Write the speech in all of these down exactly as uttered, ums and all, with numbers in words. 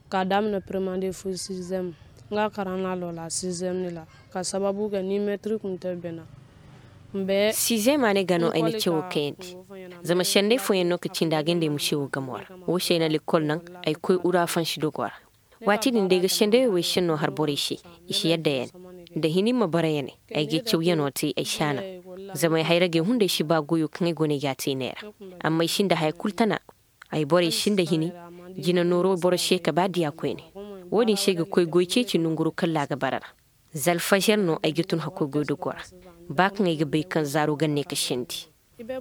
Ka daamina primande fo sizem nga karaŋ na lola sizem ni ra ka sababu ga ni metrik nte bena. Sizem a ne ga no ay na cewo kayandi. Zama sendey fooyaŋ no ka cindi a ga nda ay ma cewo gamo ra. Wo se ay na lekkol naŋ ay koy ura fansi dogo ra. Waati din da ay ga sendey wey senno har borey se, i si yadda ya ne. Da hini ma bara ya ne, ay ga ay cawyano te ay si a naŋ. Zama ay hayragey hunday si ba goyo kaŋ ay go no ay ga a te i ne ra. Amma ay sinda haya kul tana. Ay borey sinda hini jina nooro boro se ka ba diya koyne. Wo-din se ay ga koy goy ceeci nonguru kalla a ga bara ra. Za alfajar no ay ga tun hakkoy goy dogo ra. Ba kaŋ ay ga bay kaŋ zaaro ga ne ka sendi.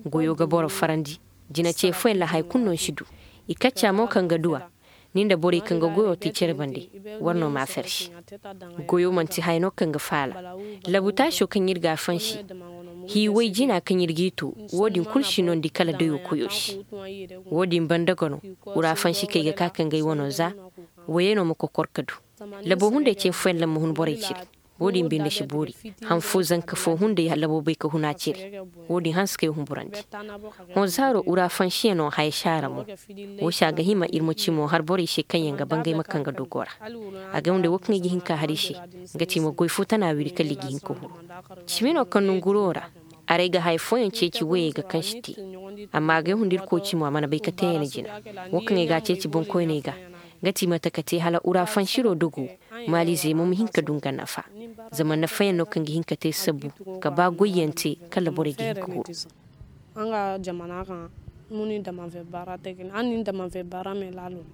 Goyo ga boro farandi. Jina ce fooyaŋ ra haya kul no ni si du. I kacca mo kaŋ ga du a. Ni nda borey kaŋ ga goyo te cere bande, war no ma a ferse. Goyo manti haya no kaŋ ga faala. Labutaaso kaŋ ir ga a fansi, hiiway jina kaŋ ir g'i to, wo-din kul si nondi kala dayo koyo se. Wo-din banda ga no, ura fansi kaŋ ay ga ka kaŋ ga ay wano za. Woyey no ma kokor ka du. Labo hunday ce fooyaŋ ra ma hun borey cire. Wo-din binde si boori. Han fo zanka fo hunday labo bay ka hun a cire. Wo-din hanse ka ay humburandi. Hõ zaaro ura fansiyaŋo haya saara mo. Wo se a ga hima ir ma ci mo har borey se kaŋ yaŋ ga bangay ma kaŋ ga dogo ra. A ga hunday wo kaŋ ay ga hin ka har i se. Nga ti mo goy fo tana wiri kala i ga hin ka huru. Cimi no kaŋ nonguro ra. Aray ga haya fooyaŋ ceeci woyey ga kaŋ si te. Amma a ga ay hunda irkoy ci mo a mana bay ka te ya ne jina. Wo kaŋ ay ga a ceeci boŋkoyney ga. Nga ti mate ka te hala ura fansiro dogo. Maalizey mo ma hin ka du nga nafa. Zama nafayaŋ no kaŋ ga hin ka te sabbu. Ka ba goyyaŋ te kala borey ga hin ka huru. An ga jamana kaŋ. Muni damanfe baara te kini an nin damanfe baara me laalo.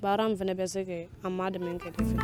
Baara n fene be se ke amma damen ke te fe.